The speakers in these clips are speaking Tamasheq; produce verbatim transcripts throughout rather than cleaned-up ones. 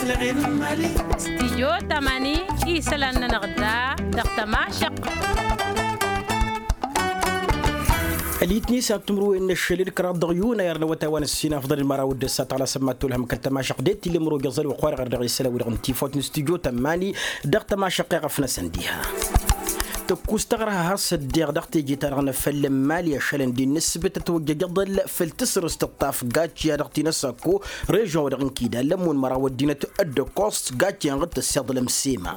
Stijyo tamani isălan-nănăɣ da dăɣ-tămašăq. Ălitni s-ad-timǝrwen n-ašăl d-kăraḍ dăɣ-yunayăr n-awătay wa n-ăssin afḍăl n-măraw d-ăssat ɣăla sămmat tolhăm kăl-tămašăq d-e t-illa imǝrwăj ăẓăl wa ăxwar ɣăr dăɣ-isălan wi-dăɣ n-tifawt n-stijyo tamani dăɣ-tămašăq iɣăf-năsăn diha. Tăkkus taɣrăha har s-ăddeɣ dăɣ-teje-ta-dăɣ n-afăl n-imali ašălăn d-innă ǝssǝbǝt ătwăjjăj aḍăl făll-tasrǝst ăṭṭaf gacci a dăɣ-t-in-ăsakko režon-wa-dăɣ n-kidal lămmun măraw ăddinăt d-ăkkoẓt gacci-enăɣ d-tăssiḍlăm sema.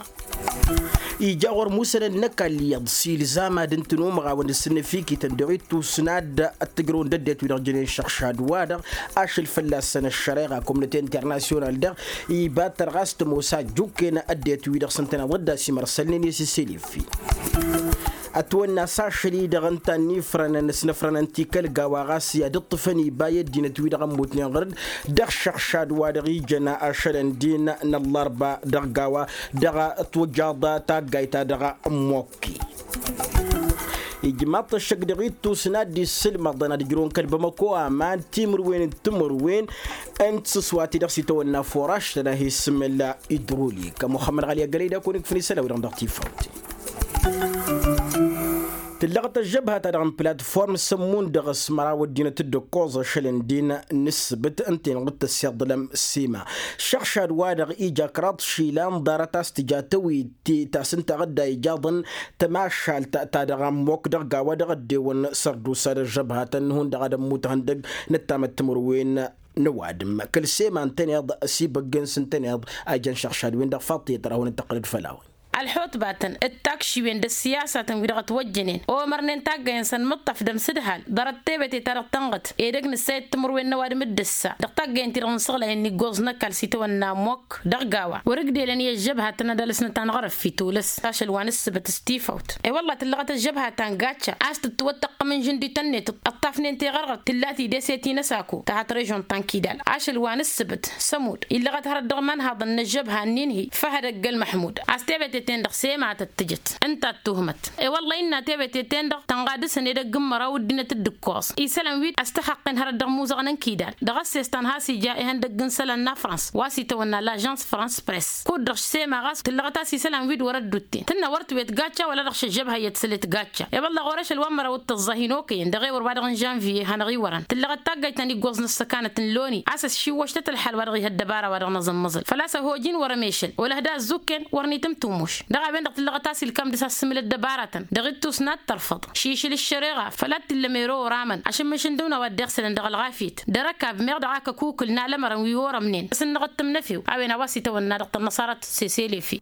Ija ɣur-musănăn n-ăkall iyyăḍ s-ilzam ad-ǝntǝn umăɣawăn d-sǝnnǝfikităn dăɣ-ittus n-ad-ăttǝjrăwăn d-ăddinăt wi-dăɣ jănen šăɣšad-wa-dăɣ ašăl fălla-săn ăššăreɣa komnăte internasyonal-dăɣ iba-t tărɣas tămoos a ăjjukken ăddinăt wi-dăɣ s-ǝntăneḍ dd-asimărsălnen i-sisilifi. Ătwănna s-ašăl-i-dăɣ ǝnta ănnifrănăn s-inǝfrănăn ti kăl-gawa ɣas i-ad-ǝṭṭǝfăn iba i-ăddinăt-wi-dăɣ ămmutnen ɣur-dd dăɣ-šăɣšad-wa-dăɣ ijăn ašălăn din n-ăllărba dăɣ-gawa dăɣ-twăjjaḍ taggayt-ta-dăɣ n-mokki. Ijmaḍ-t ăššăk dăɣ-ittus n-ad-dd-issǝlmăḍăn ad-ǝjrǝwăn kăl-bamăko aman timǝrwen d-timǝrwen n-tisǝswa-ti-dăɣ s-itawănna foraš tănahesǝmǝl idrolik ămuxămmăd ɣalya gălăy d-akăwăn-ikfǝn isălan-wi-dăɣ dăɣ-tifawt. Tǝllăɣăt ăžžăbha-ta-dăɣ n-platform sămmun dăɣ-s măraw ăddinăt d-ǝkkoẓ ašăl n-din n-ǝssǝbǝt ǝnta-en ɣur-dd tăssiḍlăm sima šăɣšad-wa-dăɣ ija kăraḍ išilan ḍarăt a-s tǝja tăwit ta s-ǝnta ɣǝdda ijaḍăn tămašalt ta dăɣ-ămmok dăɣ-gawa dăɣ-ăddewăn sărdusa d-ăžžăbhatăn n-hundăɣ ad-ămmut ihăndăg n-ăttamăt timǝrwen n-ăwadǝm kăl-sema ǝntăneḍ s-ibăggen s-ǝntăneḍ a ijăn šăɣšad-wen-dăɣ faḍt i-tăra a hawăn-dd-tăqqǝlăd făll-a-wen. Ălxutbatăn d-takšiwen d-ăssiyasatăn wi-dăɣ ătwăjjănen omărnen taggăyăn s-ănmǝṭṭăf d-ămsǝdhal ḍarăt tebete-ta-dăɣ tănɣăt edăgg nǝssayăt timǝrwen n-ăwadǝm d-ǝssa dăɣ-taggăyăn-ti-dăɣ n-isăɣlăyăn n-iggoẓ n-ăkall s-itawănna ămmok dăɣ-gawa wăr-ǝgdelăn i-ăžžăbhatăn ad-alǝsnăt anɣărăf itulǝs ašăl wa n-ǝssǝbăt s-tifawt. E-wălla tǝllăɣăt ăžžăbhat ta n-gacca a-s tǝttǝwăttăqqăm n-žǝndităn-net ăṭṭafnen teɣărɣărt tǝlla tidese ti n-ăsako ta hat režon ta n-kidal ašăl wa n-ǝssǝbǝt sămud illăɣăt hărăt dăɣ-imanhaḍăn n-ăžžăbha n-inhi făhăd ăgg-ălmăḥmud a-s tebete-ten-dăɣ sema tăt-tǝjăt ǝnta d-tuhmăt. E-wălla innă tebete-ten-dăɣ tănɣa dăɣ-săn edăgg n-măraw ăddinăt d-ǝkkoẓ isălan wi ăstăxăqqen hărăt dăɣ-imuzăɣăn n-kidal dăɣ-ăssestan has-ija ihăndăgg n-isălan n-afrans wa s-itawănna lažans frans press kud-dăɣ sema ɣas tǝllăɣăt a-s isălan wi d-wăr-ăddutten tǝnnă wăr tǝwet gacca wăla dăɣ-šăžžăbha i-ad-sălet gacca. I-wălla ɣur-ašăl wa n-măraw d-tăẓẓahin okăyăn dăɣ-ewăr wa dăɣ-n žănviye hanăɣ-iwărăn tǝllăɣăt taggayt ta n-iggoẓ n-ăssăkanăt n-loni a-s ăššiwwăštăt ălḥal wa dăɣ-iha ăddăbara wa dăɣ-năẓǝmmăẓǝl făl-a-s ăhoj-in wăr-ămešăl wăla ăhda ăzzukken wăr n-itǝmtǝmmǝš. Dăɣ-a-wen-dăɣ tǝllăɣăt a-s ilkam dăɣ-s asǝmmǝl ăddăbaratăn dăɣ-ittus n-ad-tărfăḍ šišǝl ăššăreɣa făl ad-t-illa mero oramăn ašǝmmǝš n-dăwna wa dd-iɣsǝlăn dăɣ-ălɣafyăt d-erăkab meɣ dăɣ-ak ăkukǝl n-alămărăn wi orămnen s-ǝnnăɣ d-tǝmnăfew. A-wen a-wa s-itawănna dăɣ-tănnăṣarăt seselefi.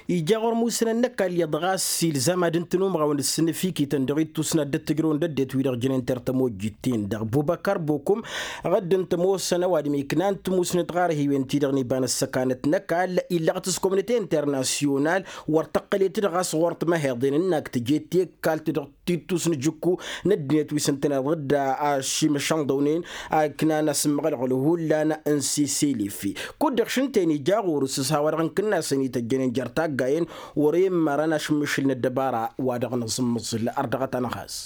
Ija ɣur-musǝnăn n-ăkall iyyăḍ ɣas ilzam ad-ǝntǝn umɣawăn d-sǝnnǝfikităn dăɣ-ittus n-ad-dd-tǝjrǝwăn d-ăddinăt wi-dăɣ jănen tertăm ojjit-ten-dăɣ bubăkar bokum ɣǝddǝn tămoosăn ăwadǝm iknan timusnǝt ɣarhiwen-ti-dăɣ n-iba n-ăssăkanăt n-ăkall illăɣăt s-komnite internasyonal wăr tăqqălet-dd ɣas ɣur-t măheḍen ǝnnak tǝjet i-ăkall-ti-dăɣ tittus n-ajǝkku n-ăddinăt wi s-ǝntăneḍ dd-ašimăšănḍăwnen a iknan asǝmmăɣălɣăl hullan n-sisilifi. Kud-dăɣ šǝnten ija ɣur-s s-a-wa-dăɣ n-kǝnnasăn ităjjănen jer-taggayen wăr-e ǝmmărăn ašǝmmǝšǝl n-ăddăbara wa dăɣ-nǝẓǝmmǝẓǝl ărdăɣăt-anăɣ has.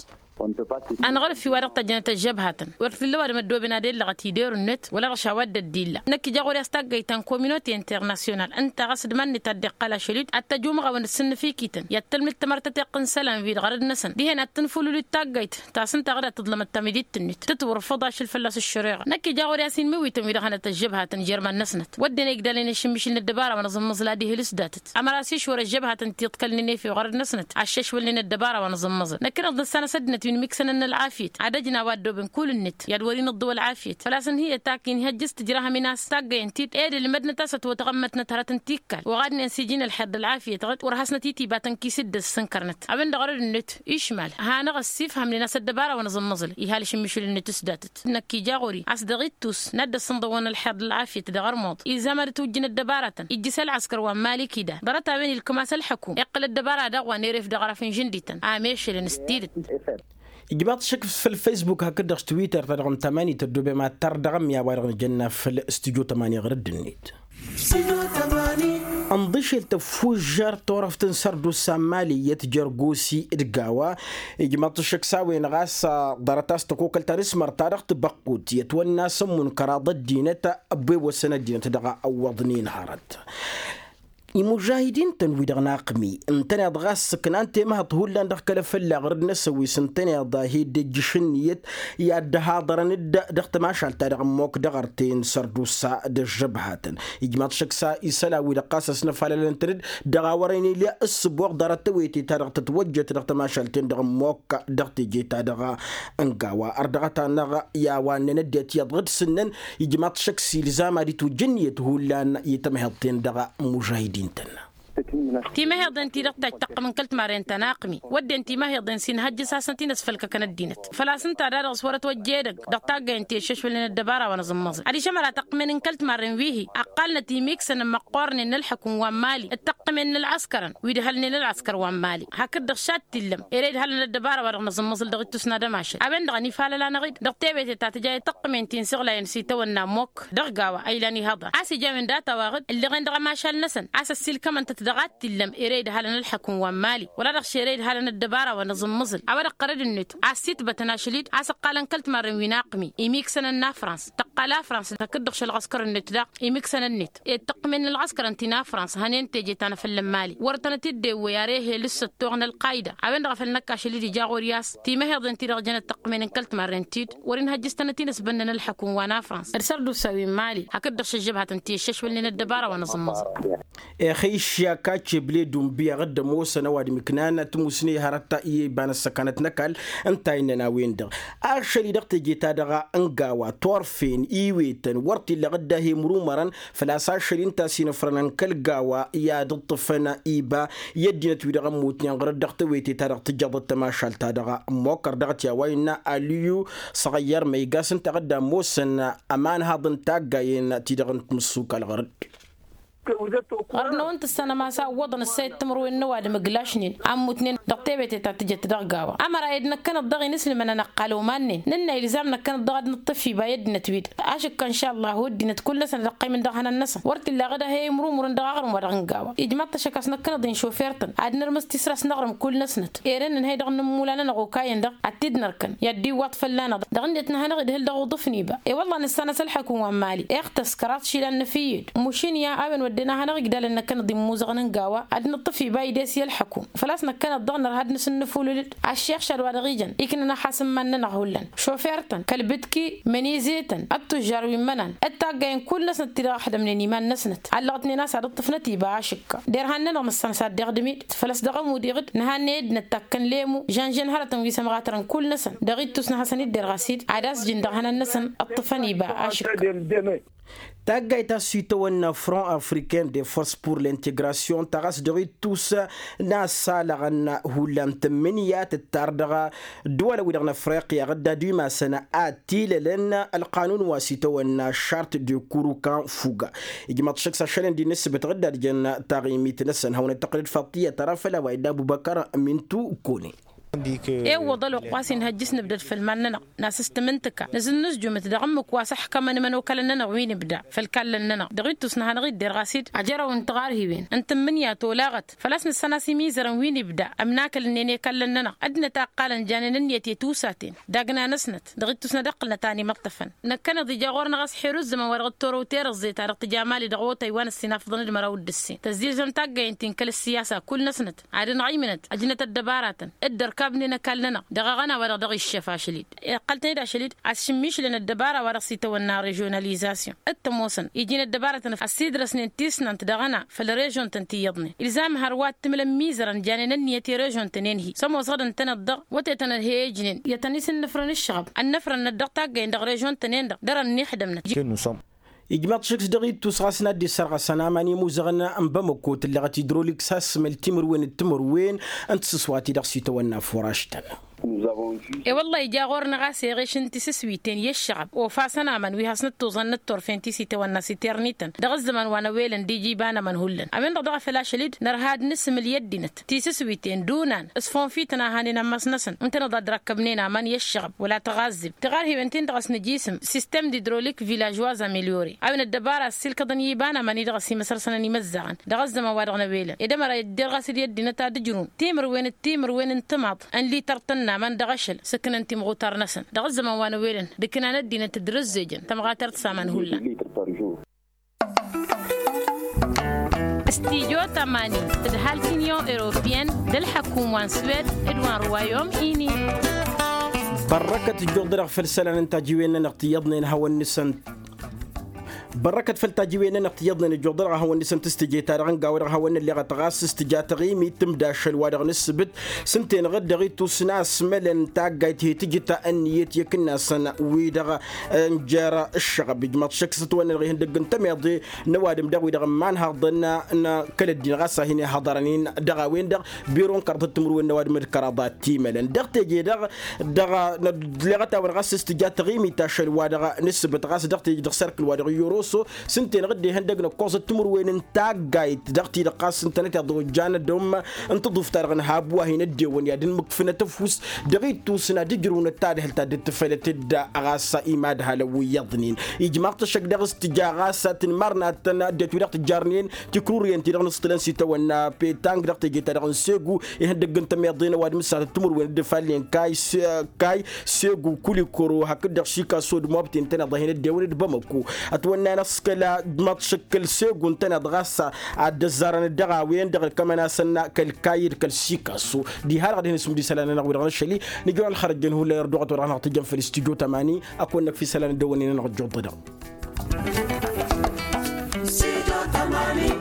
Anɣărfi wa dăɣ-tăjjănăt ăžžăbhatăn wăr t-illa ăwadǝm ăddooben ad-ellăɣăt idor-net wăla dăɣ-š a-wa dd-ăddilla. Năkk ija ɣur-i a-s taggayt ta n-kominote internasyonal ǝnta ɣas d-iman-net a dd-iqqăl ašăl-i-dd ad-tăj umɣawăn d-sǝnnǝfikităn i-ad-tălmǝd tamărtăteɣt n-isălan wi-dăɣ ɣărăd-năsăn dihen ad-tǝnfulǝl-dd taggayt ta s-ǝnta a ɣǝd ad-tǝḍlămăt tamidit-net tǝtwărfăḍ ašăl fălla-s ăššăreɣa. Năkk ija ɣur-i a-s inmǝwităn wi-dăɣ hanăt ăžžăbhatăn jer-iman-năsnăt wădden igdalnen ašǝmmǝšǝl n-ăddăbara wa n-aẓǝmmăẓǝl ad-ihǝl s-datăt ămăra s-išwăr ăžžăbhatăn tiḍkălnen efew ɣărăd-năsnăt aššăšwălnen ăddăbara wa n-aẓǝmmăẓǝl. Năkkăneḍ dăr-s anăs ăddinăt wi n-imiksănăn n-ălɣafyăt ad-ăjnaw a ăddooben kull-net i-ad-wăr-inǝḍḍǝw ălɣafyăt făl-a-s ǝnhǝyăt ak inhăjjǝs tǝjrahăm-in a-s taggăyăn-t-dd ed ǝlmădnăt a-s ătwătɣămmătnăt hărăt n-tikkal oɣadnen s-iji n-ălxer d-ălɣafyăt ɣǝd wăr hasnăt-itibătăn kis-dd ăssǝnkărnăt. A-wen-dăɣ ărăd-net išmal hanăɣ-ăssifhămnen a-s ăddăbara wa n-aẓǝmmăẓǝl ihal ašǝmmǝšǝl-net s-datăt. Năkk ija ɣur-i a-s dăɣ-ittus n-ad-dd-ăssǝnḍăwăn ălxer d-ălɣafyăt dăɣ-ărmuḍ ilzam ad-ǝtwǝjjǝn ăddăbaratăn ijjǝs ălɣăskăr wa n-mali kida ḍarăt a-wen ilkǝm a-s ălxăkum iqqǝl ăddăbara daɣ wa n-eref dăɣ-arăf n-žǝndităn. Am ešălăn s-tidǝt. Ijmaḍ-t šăkk făll-facebook hakd-dăɣ s-twitter-ta-dăɣ n-tamani tăddoobem ad-tar dăɣ-ămmiya wa-dăɣ nǝjănna făll-studyo tămani ɣărădd-net. Ănḍišel tăffužžăr turăft n-sărdusa n-mali iyyăt jărgosi d-gawa. Ijmăḍ-t ăššăk s-a-wen ɣas ḍarăt a-s tăkokăl ta n-asmăr ta dăɣ-tibăqqut i-ătwănna s-ămmun kăraḍ ăddinăt ăbwewăsăn ăddinăt dăɣ-awwăḍnen hărăt. Imužahidin-tăn-wi-dăɣ n-aqmi ǝntăneḍ ɣas ǝknan temăhăḍt hullan dăɣ-kăl-afălla ɣur-dd n-asăwis ǝntăneḍ a hi-dd-ijjǝš ǝnniyăt i-ad-dd-haḍărăn-dd dăɣ-tamašalt-ta-dăɣ ămmook dăɣ-arten sărdusa d-ăžžăbhatăn. Ijmaḍ šăksa isălan wi-dăɣ ɣas ăsnăfalălăn-tăn-dd dăɣ-a wărăn ilya ǝssǝboɣ ḍarăt tawăyte-ta-dăɣ tătwăjjăt dăɣ-tamašalt-ten-dăɣ ămmook dăɣ-teje-ta-dăɣ n-gawa ărdăɣăt-anăɣ i-a-wa ǝnnăn ăddinăt iyyăḍ ɣǝd-sǝnnăn. Ijmaḍ šăksa ilzam ad-itwǝjj ǝnniyăt hullan i-tamăheḍt-ten-dăɣ. Mužahidin-tăn. Timăheḍen-ti-dăɣ tajj tăqqǝmăn kăl-timarren ta n-aqmi wădden timăheḍen s-inhăjjăs hasăn-t-in-ăsfălkăkăn ăddinăt făl-a-s ǝnta a-da-dăɣ s-wăr-ătwăjja edăgg dăɣ-taggayăn ti ăššăšwălnen ăddăbara wa n-aẓǝmmăẓǝl adiš ămăra tăqqǝmen n-kăl-timarren wi-hi ăqqalnăt imiksănăn măqqoornen n-ălxukǝm wa n-mali d-tăqqǝmen n-ălɣăskărăn wi ǝdhălnen ălɣăskăr wa n-mali. Hakd-dăɣ šattillăm ere idhălăn ăddăbara wa dăɣ-năẓǝmmăẓǝl dăɣ-ittus n-ad-ămašăl a-wen-dăɣ ănifalăl-anăɣ-dd dăɣ-tewete ta tǝja i-tăqqǝmen ti n-siɣlayăn s-itawănna ămmok dăɣ-gawa a ilan ihăḍan a-s ija a-wen data-wa-dăɣ ǝlleɣen dăɣ-ămašal-năsăn a-s ăssiilkămăn-tăt dăɣ-ad-t-illăm ere idhalăn ălxăkǝm wa n-mali wăla dăɣ-š ere idhalăn ăddăbara wa n-aẓǝmmǝẓǝl a-wa dăɣ-qărăd-net a ăssiitbătăn ašăl-dd a-s ǝqqalăn kăl-timarren wi n-aqmi imiksănăn n-afrans tăqqal afrans hakd-dăɣ šălɣăskăr-net daɣ imiksănăn-net ed tăqqǝmen n-ălɣăskărăn ti n-afrans hănen teje ta n-afălla n-mali wăr tănăt-dd-ewwăy ar ehel s-ăttoɣ n-ălqayda a-wen-dăɣ a făl năkk ašăl-dd ija ɣur-i a-s timăheḍen-ti-dăɣ jănăt tăqqǝmen n-kăl-timarren-t-dd wăr-inhăjjǝs tănăt-in-ăsbănnăn ălxăkǝm wa n-afrans d-sărdusa wi n-mali hakd-dăɣ šăžžăbhatăn ti ăššăšwălnen ăddăbara wa n-aẓǝmmăẓăl. Ixăyš i-akaceb ledun biyaɣ dd-ămoosăn ăwadǝm ǝknan tǝmusne hărăt i-iba n-ăssăkanăt n-ăkall ǝnta innăn a-wen-dăɣ ašăl-i dăɣ-teje-ta-dăɣ n-gawa turfen iwetăn wăr t-illeɣ dd-ahi mrumărăn făl-a-s ašăl-i ǝnta a-s inǝfrănăn kăl-gawa i-ad-ǝṭṭǝfăn iba i-ăddinăt-wi-dăɣ ămmutnen ɣur-dd dăɣ-tewete-ta-dăɣ tǝjjăḍăt tamašalt-ta-dăɣ ămmokkăr dăɣ-t i-a-wa innă aliyu săɣăyyăr ma iga a-s ǝnta a dd-ămoosăn ămanhaḍ n-taggayen-ti-dăɣ n-timǝssukal ɣur-dd. Ɣur-năwăn tǝssanăm a-s a ǝwwăḍăn ǝssayăt timǝrwen n-ăwadǝm ǝglašnen a ǝmmutnen dăɣ-tewete ta tǝjăt dăɣ-gawa ămăra ed năkkăneḍ dăɣ-i n-ǝslǝmăn ănăqqal omannen nǝnna ilzam năkkăneḍ dăɣ-ad-nǝṭṭǝf iba i-ăddinăt-wi-dăɣ ašǝkka n-šalla a ho-ăddinăt kull-năsăn ad-ăqqăymǝn dăɣ-ihănan-năsăn wăr t-illa aɣǝd a he-imrumǝrǝn dăɣ-aɣrǝm-wa-dăɣ n-gawa ijmaḍ-t ăššăk a-s năkkăneḍ-in šofer-tăn ad-nărmǝs tisra a-s năɣrǝm kull-năsnăt ere ǝnnăn hay-dăɣ n-inǝmmula-nănăɣ okayăn-dăɣ ad-t-dd-nărkăn i-ad-dd-iwwaḍ fălla-năɣ dăɣ-net nǝha-năɣ-dd hǝl dăɣ-uḍǝf n-iba i-wălla nǝssan-as ălxăkum wa n-mali iɣtăs kăraḍ išilan n-efǝyyed mušǝnǝya a-wen wădden a hanăɣ-igdalăn năkkăneḍ immuzăɣăn n-gawa ad-nǝṭṭǝf iba ides i-ălxăkum făl-a-s năkkăneḍ-dăɣ nărha ad-nǝsǝnnǝfulǝl-dd aššiɣšad wa dăɣ-ijăn iknăn axasǝmman-nănăɣ hullan šofer-tăn kăl-bǝtki mănizăy-tăn ăttužžar wi n-imănan d-taggayen kull-năsnăt ti-dăɣ ăxdămnen iman-năsnăt allăɣătnen a-s ad-ǝṭṭǝfnăt iba ašǝkka derhan-nănăɣ nǝssan-as ad-dd-iɣdǝm-dd făl-a-s dăɣ-ămud iɣǝd nǝha n-eddinăt takkăn lemu žănžăn hărătăn wi s-ămɣatărăn kull-năsăn dăɣ-ittus n-ad-hasăn-dd-derɣas-dd ad-asjǝn dăɣ-ihănan-năsăn ǝṭṭǝfăn iba ašǝkka. Taggayt a-s itawănna front africain de force pour l'integration ta ɣas dăɣ-ittus n-assalăɣăn hullan tǝmmǝnǝya tǝttar dăɣ-ăddăwalăn-wi-dăɣ n-afriqya ɣǝdda d-imasăn ad-tilălăn ălqanun wa s-itawănna charte de kurukan fuga. Ijmaḍ šăkk s-ašălăn d-inǝsbăt ɣǝdda d-jăn taɣimit-năsăn hawăn-dd-tăqqǝlăd faṭiyăt ara făll-a-wa illa ăbubăkăr mintu kone. Iwwăḍ ălwăqq wa s-inhăjjǝs nǝbdăd făll-iman-nănăɣ nasǝstǝm n-tǝka nǝzǝnnǝzjumǝt dăɣ-ǝmmǝk wa s-ăxkămăn imănokalăn-nănăɣ wi n-ibda făll-ikallăn-nănăɣ dăɣ-ittus n-ad-hanăɣ-dd-derɣas-dd ajărăw n-tiɣarhiwen n-tǝmmǝnǝya tolaɣăt făl-a-s nǝssan-as imizărăn wi n-ibda ămnakălnen i-ikallăn-nănăɣ ăddinăt a ǝqqalăn janen ǝnniyăt i-tusaten dagna-năsnăt dăɣ-ittus n-ad-ǝqqǝlnăt a ănimăṭṭăfăn. Năkkăneḍ ija ɣur-năɣ a-s xir ǝzzǝmăn wa dăɣ-t-orow terăẓẓe ta dăɣ-tǝja mali dăɣ-awătay wa n-ăssinafăḍăn d-măraw d-ǝssin tăzzilzăm taggayen-tin kăl-ǝssiyasa kull-năsnăt ad-ănɣăymǝnăt ăjnăt ăddăbaratăn d-ărkabnen ăkall-nănăɣ dăɣ-aɣăna wa-dăɣ dăɣ-iššăf ašăl-dd iqqăl-tăn-dd ašăl-dd a-s šǝmmišlăn ăddăbara wa-dăɣ s-itawănna režionalizasyon d-tămoosăn iji n-ăddăbaratăn ăssiidrăsnen tisnant dăɣ-ăna făll-režon-tăn ti iyyăḍnen ilzam hărwa t-tǝmlăn mizărăn janen ǝnniyăt i-režon-tăn-en-hi s-ămoosăɣ dăɣ-tăn-ăddoɣ wătetăn ădhey ijnen i-ad-tăn-isǝnnǝfrăn ǝššăɣăb ănnăfrăn-năt dăɣ-taggăyăn dăɣ-režon-tăn-en-dăɣ dăr-ănnixdămnăt. Ijmaḍ-t šǝks dăɣ-ittus ɣas n-ad-dd-issărɣăsăn aman imuzăɣăn n-bamăko tǝllăɣăt idroliks has-sǝmǝl timǝrwen d-timǝrwen n-tasǝswa-ti-dăɣ s-itawănna furaš-tăn. E-wălla-hi ija ɣur-năɣ a-s eɣeš n-tisǝswiten i-ăššăɣăb ofasăn aman wi hasnăt-tuẓăn n-ătturfen ti s-itawănna s-iternităn dăɣ-ăzzăman wa n-ăwelăn d-iji iba n-aman hullan a-wen-dăɣ daɣ a făl ašăl-dd nărha ad-nǝsǝmǝl i-ăddinăt tisǝswiten d-unan s-funfităn a hanen ammas-năsăn ǝntăneḍ ad-răkkăbnen aman i-ăššăɣăb wăla taɣazzǝbt tiɣarhiwen-tin-dăɣ a-s nǝjisǝm sistem d-idrolik vilažoaz amelyore a-wen ăddăbara ăssiilkăḍăn i-iba n-aman-i-dăɣ ăsimăsăr-sănăn imăzzaɣăn dăɣ-ăzzăman-wa-dăɣ n-ewelăn ed ămăra idder ɣas d-i-ăddinăt ad-ǝjrǝwăn timǝrwen d-timǝrwen n-tǝmaḍ n-lităr tǝnna aman dăɣ-ašăl s-ǝknăn timɣutar-năsăn dăɣ-ăzzăman wa n-ewelăn d-ǝknan ăddinăt d-rǝzzejăn tămɣatert s-aman hullan. Stijo tămani d-halk inyon europiyăn d-ălḥăkum wa n-swed d-wa n-ruwayom ini. Bărrăkăt ǝjjuḍ-dăɣ făll-isălan n-tajiwen-nănăɣ ti iyyăḍnen hawăn-nǝsăn. Bărrăkăt făll-tajiwen-nănăɣ ti iyyăḍnen ǝjjuḍ-dăɣ hawăn-nǝsăn tǝstǝje-ta-dăɣ n-gawădăɣ hawăn-nălleɣăt ɣas s-tǝja taɣimit tǝmda ašăl-wa-dăɣ n-ǝssǝbǝt s-ǝnta-enăɣ-dd dăɣ-ittus n-asmălăn taggayt he tǝjǝt ănniyăt i-akǝnnasăn wi-dăɣ ănjăr ǝššăɣăb ijmaḍ šăkk s-ătwănnănăɣ ihăndăgg n-tămeḍe n-ăwadǝm daɣ wi-dăɣ n-imanhaḍăn n-kăl-ăddin ɣas a hin-ihăḍărăn-in dăɣ-a-wen-dăɣ biro n-kăraḍăt timǝrwen n-ăwadǝm d-kăraḍa timălăn dăɣ-teje-dăɣ dăɣ-nădleɣăt-awăn ɣas s-tǝja taɣimit ašăl-wa-dăɣ n-ǝssǝbǝt ɣas dăɣ-teje dăɣ-serkǝl-wa-dăɣ i-oroso s-ǝnta-enăɣ-dd ihăndăgg n-ǝkkoẓăt timǝrwen n-taggayt dăɣ-ti-dăɣ ɣas ǝntănăt iḍa ojjan ădom n-tǝḍuft-ta-dăɣ n-habu a hin-ăddewăn i-ad-ǝnmǝkfǝnăt ăfuss dăɣ-ittus n-ad-ǝjrǝwnăt tadhǝlt ta dd-tǝfălăt-dd ɣas imadhalăn wi iyyăḍnen ijmaḍ-t ăššăk daɣ s-tǝja ɣas tǝnmărnatăn ăddinăt wi dăɣ-tǝjjarnen tikruryen-ti-dăɣ n-ǝṣṭǝlăn s-itawănna petang dăɣ-teje-ta-dăɣ n-segu ihăndăgg n-tămeḍe n-ăwadǝm s-ad-tǝmǝrwen d-ifallen kay kay segu kulikoro hakd-dăɣ šikaso d-mobte ǝntăneḍ a hin-ăddewăn d-bamăko ătwănna-năɣ s-kăla d-măḍšăk kăl-segu ǝntăneḍ ɣas ad-dd-ăzzarăn dăɣ-a-wen-dăɣ ălkămăn-asăn kăl-kayy d-kăl-šikaso diha-dăɣ ad-hin-isǝmdǝy isălan-nănăɣ wi-dăɣ n-ašăl-i. Nǝjrăw ălxărăjjăn hullan irduɣăt wa dăɣ-năɣ tǝjjăn făll-studyo tămani. Ăkk wănnăk fi isălan ăddăwănnen-nănăɣ ăjjuḍ-dăɣ. Studyo tămani.